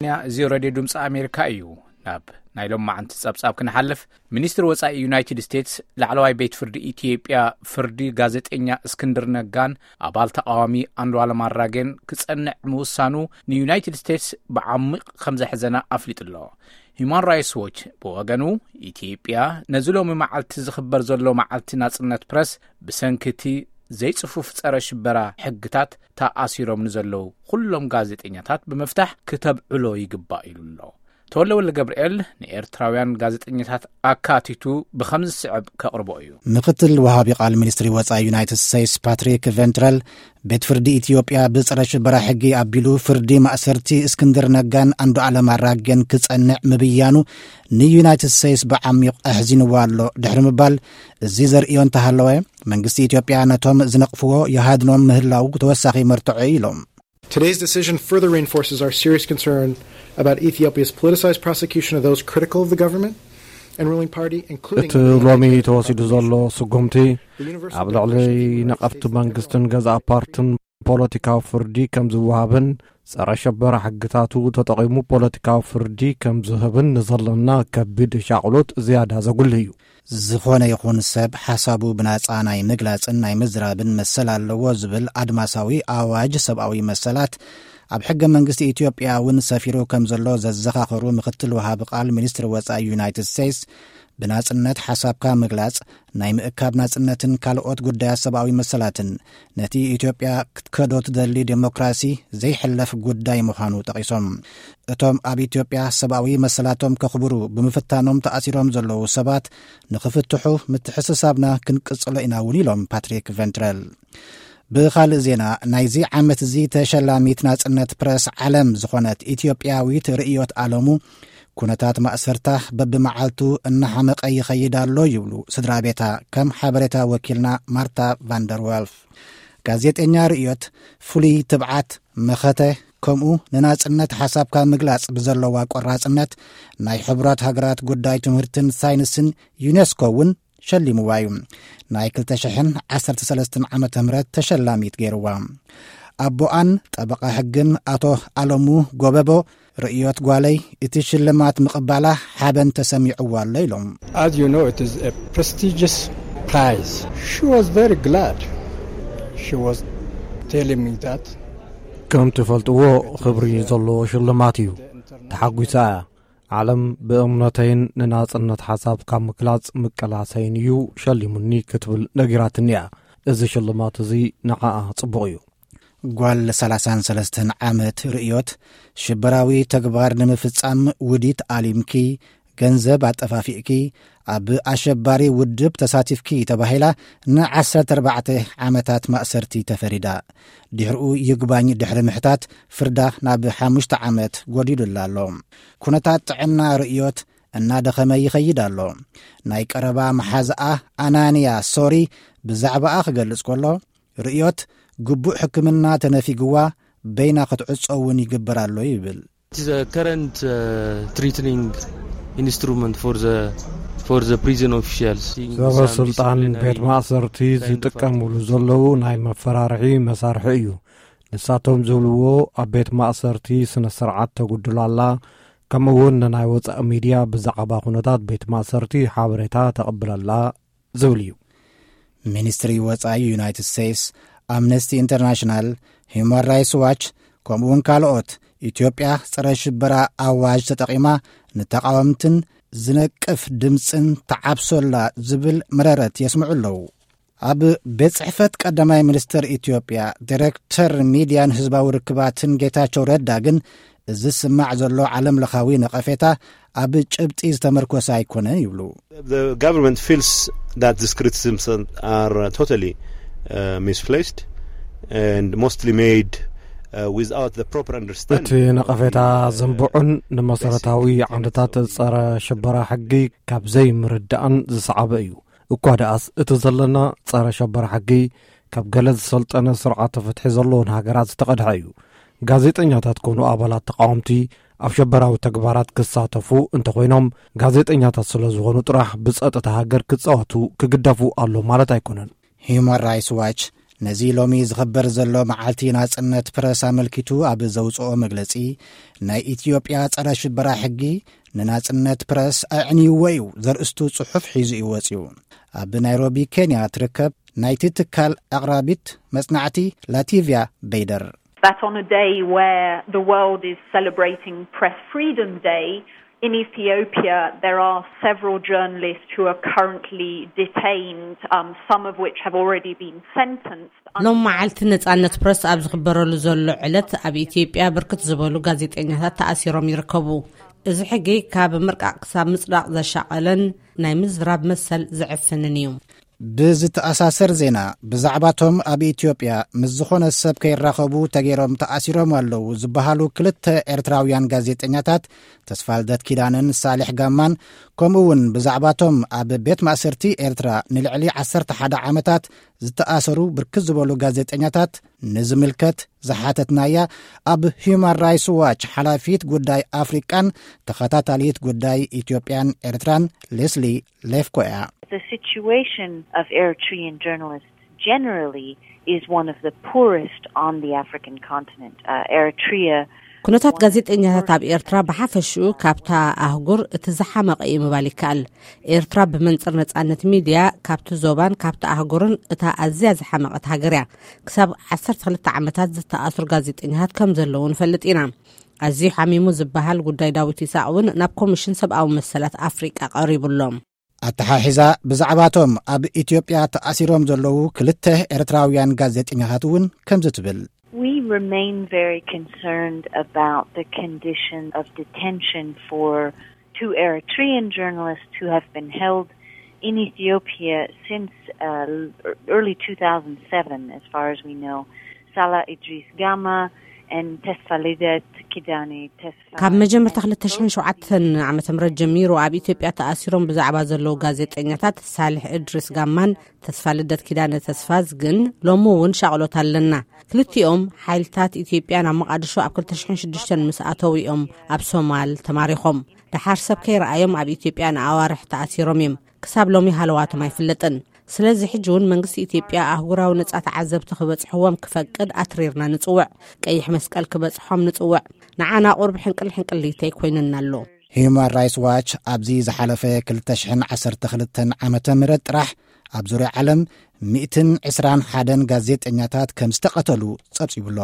እዚ ሬድዮ ድምፂ ኣሜሪካ እዩ። ናብ ናይ ሎማዓንቲ ጸብጻብ ክንሓልፍ፣ ሚኒስትሪ ወጻኢ ዩናይትድ ስቴትስ ላዕለዋይ ቤት ፍርዲ ኢትዮጵያ ፍርዲ ጋዜጠኛ እስክንድር ነጋን ኣባል ተቃዋሚ ኣንዱዓለም ኣራጌን ክጸንዕ ምውሳኑ ንዩናይትድ ስቴትስ ብዓሚቕ ከም ዘሕዘና ኣፍሊጡ ኣሎ። ሂማን ራይትስ ዎች ብወገኑ፣ ኢትዮጵያ ነዚ ሎሚ መዓልቲ ዝኽበር ዘሎ መዓልቲ ናጽነት ፕረስ ብሰንኪ እቲ ዘይጽፉፍ ጸረ ሽበራ ሕግታት ተኣሲሮም ንዘለዉ ኩሎም ጋዜጠኛታት ብምፍታሕ ክተብዕሎ ይግባእ ኢሉ ኣሎ። ተወልደ ወልደ ገብርኤል ንኤርትራውያን ጋዜጠኛታት ኣካቲቱ ብኸምዚ ዝስዕብ ከቕርቦ እዩ። ምክትል ወሃቢ ቃል ሚኒስትሪ ወጻኢ ዩናይትድ ስቴትስ ፓትሪክ ቬንትረል፣ ቤት ፍርዲ ኢትዮጵያ ብጸረ ሽበራ ሕጊ ኣቢሉ ፍርዲ ማእሰርቲ እስክንድር ነጋን ኣንዱዓለም ኣራጌን ክጸንዕ ምብያኑ ንዩናይትድ ስቴትስ ብዓሚቕ ኣሕዚንዋ ኣሎ ድሕሪ ምባል፣ እዚ ዘርእዮ እንተሃለወ፣ መንግስቲ ኢትዮጵያ ነቶም ዝነቕፍዎ ይሃድኖም ምህላው ተወሳኺ መርትዖ እዩ ኢሎም። Today's decision further reinforces our serious concern about Ethiopia's politicized prosecution of those critical of the government and ruling party, including እቲ ሎሚ ተወሲዱ ዘሎ ስጉምቲ ኣብ ልዕሊ ነቐፍቲ መንግስትን ገዛእ ፓርትን ፖለቲካዊ ፍርዲ ከም ዝወሃብን ጸረ ሸበራ ሕግታቱ ተጠቒሙ ፖለቲካዊ ፍርዲ ከም ዝህብን ንዘለና ከቢድ ሻቕሎት ዝያዳ ዘጉልህ እዩ። ዝኾነ ይኹን ሰብ ሓሳቡ ብናጻ ናይ ምግላጽን ናይ ምዝራብን መሰል ኣለዎ ዝብል ኣድማሳዊ ኣዋጅ ሰብኣዊ መሰላት ኣብ ሕገ መንግስቲ ኢትዮጵያ እውን ሰፊሩ ከም ዘሎ ዘዘኻኸሩ ምክትል ወሃቢ ቃል ሚኒስትሪ ወጻኢ ዩናይትድ ስቴትስ፣ ብናጽነት ሓሳብካ ምግላጽ፣ ናይ ምእካብ ናጽነትን ካልኦት ጉዳያት ሰብኣዊ መሰላትን ነቲ ኢትዮጵያ ክትከዶ ትደሊ ዴሞክራሲ ዘይሕለፍ ጉዳይ ምዃኑ ጠቒሶም። እቶም ኣብ ኢትዮጵያ ሰብኣዊ መሰላቶም ከኽብሩ ብምፍታኖም ተኣሲሮም ዘለዉ ሰባት ንኽፍትሑ ምትሕስሳብና ክንቅጽሎ ኢና እውን ኢሎም ፓትሪክ ቬንትረል። ብኻልእ ዜና፣ ናይዚ ዓመት እዚ ተሸላሚት ናጽነት ፕረስ ዓለም ዝኾነት ኢትዮጵያዊት ርእዮት ኣለሙ፣ ኩነታት ማእሰርታ በብመዓልቱ እናሓመቐ ይኸይድ ኣሎ ይብሉ ስድራ ቤታ፣ ከም ሓበሬታ ወኪልና ማርታ ቫንደርወልፍ። ጋዜጠኛ ርእዮት ፍሉይ ትብዓት፣ መኸተ፣ ከምኡ ንናጽነት ሓሳብካ ምግላጽ ብዘለዋ ቆራጽነት ናይ ሕቡራት ሃገራት ጉዳይ ትምህርትን ሳይንስን ዩኔስኮ እውን ሸሊምዋ እዩ። ናይ ክልተ ሽሕን ዓሰርተ ሰለስተን ዓመተ ምህረት ተሸላሚት ገይርዋ። ኣቦኣን ጠበቓ ሕግን ኣቶ ኣለሙ ጎበቦ ርእዮት ጓለይ እቲ ሽልማት ምቕባላ ሓበን ተሰሚዕዋ ኣሎ ኢሎም። As you know, it is a prestigious prize. She was very glad. She was telling me that ከም ትፈልጥዎ ክብሪ ዘለዎ ሽልማት እዩ። ተሓጒሳ እያ። ዓለም ብእምነተይን ንናጽነት ሓሳብ ካብ ምክላጽ ምቅላሰይን እዩ ሸሊሙኒ ክትብል ነጊራትኒ እያ። እዚ ሽልማት እዚ ንዓኣ ጽቡቕ እዩ። ጓል ሰላሳን ሰለስተን ዓመት ርእዮት፣ ሽበራዊ ተግባር ንምፍጻም ውዲት ኣሊምኪ፣ ገንዘብ ኣጠፋፊእኪ፣ ኣብ ኣሸባሪ ውድብ ተሳቲፍኪ ተባሂላ ንዓሰርተ ኣርባዕተ ዓመታት ማእሰርቲ ተፈሪዳ። ድሕሪኡ ይግባኝ ድሕሪ ምሕታት ፍርዳ ናብ ሓሙሽተ ዓመት ጎዲሉላ ኣሎ። ኩነታት ጥዕና ርእዮት እናደኸመ ይኸይድ ኣሎ። ናይ ቀረባ መሓዝኣ ኣናንያ ሶሪ ብዛዕባኣ ክገልጽ ከሎ፣ ርእዮት ግቡእ ሕክምና ተነፊግዋ በይና ክትዕጾ እውን ይግበር ኣሎ ይብል። It is a current, uh, threatening instrument for the, for the prison officials. ሰበ ስልጣን ቤት ማእሰርቲ ዝጥቀሙሉ ዘለዉ ናይ መፈራርሒ መሳርሒ እዩ። ንሳቶም ዝብልዎ፣ ኣብ ቤት ማእሰርቲ ስነ ስርዓት ተጉድል ኣላ፣ ከምኡ እውን ንናይ ወጻኢ ሚድያ ብዛዕባ ኩነታት ቤት ማእሰርቲ ሓበሬታ ተቐብል ኣላ ዝብል እዩ። ሚኒስትሪ ወጻኢ ዩናይትድ ስቴትስ፣ ኣምነስቲ ኢንተርናሽናል፣ ሂውማን ራይትስ ዋች፣ ከምኡውን ካልኦት ኢትዮጵያ ጸረ ሽበራ ኣዋጅ ተጠቒማ ንተቓወምትን ዝነቅፍ ድምጽን ተዓብሶላ ዝብል መረረት የስምዑ ኣለዉ። ኣብ ቤት ጽሕፈት ቀዳማይ ሚኒስትር ኢትዮጵያ ዲሬክተር ሚድያን ህዝባዊ ርክባትን ጌታቸው ረዳ ግን፣ እዚ ዝስማዕ ዘሎ ዓለም ለኻዊ ነቐፌታ ኣብ ጭብጢ ዝተመርኮሰ ኣይኮነን ይብሉ። The government feels that these criticisms are, uh, totally, uh, misplaced and mostly made, uh, without the proper understanding. እቲ ነቐፌታ ዝንብዑን ንመሰረታዊ ዓንድታት ጸረ ሽበራ ሕጊ ካብ ዘይምርዳእን ዝሰዓበ እዩ። እኳ ደኣስ እቲ ዘለና ጸረ ሸበራ ሕጊ ካብ ገለ ዝሰልጠነ ስርዓተ ፍትሒ ዘለዎን ሃገራት ዝተቐድሐ እዩ። ጋዜጠኛታት ኮኑ ኣባላት ተቃወምቲ ኣብ ሸበራዊ ተግባራት ክሳተፉ እንተኾይኖም፣ ጋዜጠኛታት ስለ ዝኾኑ ጥራሕ ብጸጥታ ሃገር ክጻወቱ ክግደፉ ኣሎ ማለት ኣይኮነን። ሂውማን ራይትስ ዋች ነዚ ሎሚ ዝኽበር ዘሎ መዓልቲ ናጽነት ፕረስ ኣመልኪቱ ኣብ ዘውጽኦ መግለጺ፣ ናይ ኢትዮጵያ ጸረ ሽበራ ሕጊ ንናጽነት ፕረስ ኣዕንይዎ እዩ ዘርእስቱ ጽሑፍ ሒዙ እዩ ወጺኡ። ኣብ ናይሮቢ ኬንያ ትርከብ ናይቲ ትካል ኣቕራቢት መጽናዕቲ ላቲቪያ በይደር። That on a day where the world is celebrating Press Freedom Day, in Ethiopia there are several journalists who are currently detained, um, some of which have already been sentenced. ሎም መዓልቲ ነጻነት ፕረስ ኣብ ዝኽበረሉ ዘሎ ዕለት ኣብ ኢትዮጵያ ብርክት ዝበሉ ጋዜጠኛታት ተኣሲሮም ይርከቡ። እዚ ሕጊ ካብ ምርቃቕ ክሳብ ምጽዳቕ ዘሻቐለን ናይ ምዝራብ መሰል ዘዕፍንን እዩ። ብዝተኣሳሰር ዜና፣ ብዛዕባቶም ኣብ ኢትዮጵያ ምስ ዝኾነ ሰብ ከይራኸቡ ተገይሮም ተኣሲሮም ኣለዉ ዝበሃሉ ክልተ ኤርትራውያን ጋዜጠኛታት ተስፋልደት ኪዳነን ሳሌሕ ጋማን፣ ከምኡ እውን ብዛዕባቶም ኣብ ቤት ማእሰርቲ ኤርትራ ንልዕሊ ዓሰርተ ሓደ ዓመታት ዝተኣሰሩ ብርክት ዝበሉ ጋዜጠኛታት ንዝምልከት ዝሓተትናያ፣ ኣብ ሂዩማን ራይትስ ዋች ሓላፊት ጉዳይ ኣፍሪቃን ተኸታታሊት ጉዳይ ኢትዮጵያን ኤርትራን ሌስሊ ሌፍኮ እያ። The situation of Eritrean journalists generally is one of the poorest on the African continent. Uh, Eritrea ኩነታት ጋዜጠኛታት ኣብ ኤርትራ ብሓፈሽኡ ካብታ ኣህጉር እቲ ዝሓመቐ እዩ ምባል ይከኣል። ኤርትራ ብመንጽር ነጻነት ሚድያ ካብቲ ዞባን ካብቲ ኣህጉርን እታ ኣዝያ ዝሓመቐት ሃገር እያ። ክሳብ ዓሰርተ ክልተ ዓመታት ዝተኣስሩ ጋዜጠኛታት ከም ዘለዉ ንፈልጥ ኢና። ኣዝዩ ሓሚሙ ዝበሃል ጉዳይ ዳዊት ይስሐቅ እውን ናብ ኮሚሽን ሰብኣዊ መሰላት ኣፍሪቃ ቀሪቡ ኣሎ። ኣተሓሒዛ ብዛዕባቶም ኣብ ኢትዮጵያ ተኣሲሮም ዘለዉ ክልተ ኤርትራውያን ጋዜጠኛታት እውን ከምዚ ትብል። We remain very concerned about the condition of detention for two Eritrean journalists who have been held in Ethiopia since uh, early two thousand seven, as far as we know. Salah Idris Gama and Tesfalidet Kidane Tesfa. ካብ መጀመርታ ክልተ ሽሕን ሸውዓተን ዓመተ ምህረት ጀሚሩ ኣብ ኢትዮጵያ ተኣሲሮም ብዛዕባ ዘለዉ ጋዜጠኛታት ሳልሕ እድሪስ ጋማን ተስፋ ልደት ኪዳነ ተስፋዝ ግን ሎሚ እውን ሻቕሎት ኣለና። ክልቲኦም ሓይልታት ኢትዮጵያ ናብ መቓድሾ ኣብ ክልተ ሽሕን ሽዱሽተን ምስ ኣተዉ እዮም ኣብ ሶማል ተማሪኾም። ደሓር ሰብ ከይረኣዮም ኣብ ኢትዮጵያ ንኣዋርሕ ተኣሲሮም እዮም። ክሳብ ሎሚ ሃለዋቶም ኣይፍለጥን። ስለዚ ሕጂ እውን መንግስቲ ኢትዮጵያ ኣህጉራዊ ነጻ ተዓዘብቲ ክበጽሕዎም ክፈቅድ ኣትሪርና ንጽውዕ። ቀይሕ መስቀል ክበጽሖም ንጽውዕ። ንዓና ቁርብ ሕንቅል ሕንቅሊተይ ኮይኑና ኣሎ። ሂዩማን ራይትስ ዋች ኣብዚ ዝሓለፈ ክልተ ሽሕን ዓሰርተ ክልተን ዓመተ ምህረት ጥራሕ ኣብ ዙርያ ዓለም ሚእትን ዕስራን ሓደን ጋዜጠኛታት ከም ዝተቐተሉ ጸብጺቡ ኣሎ።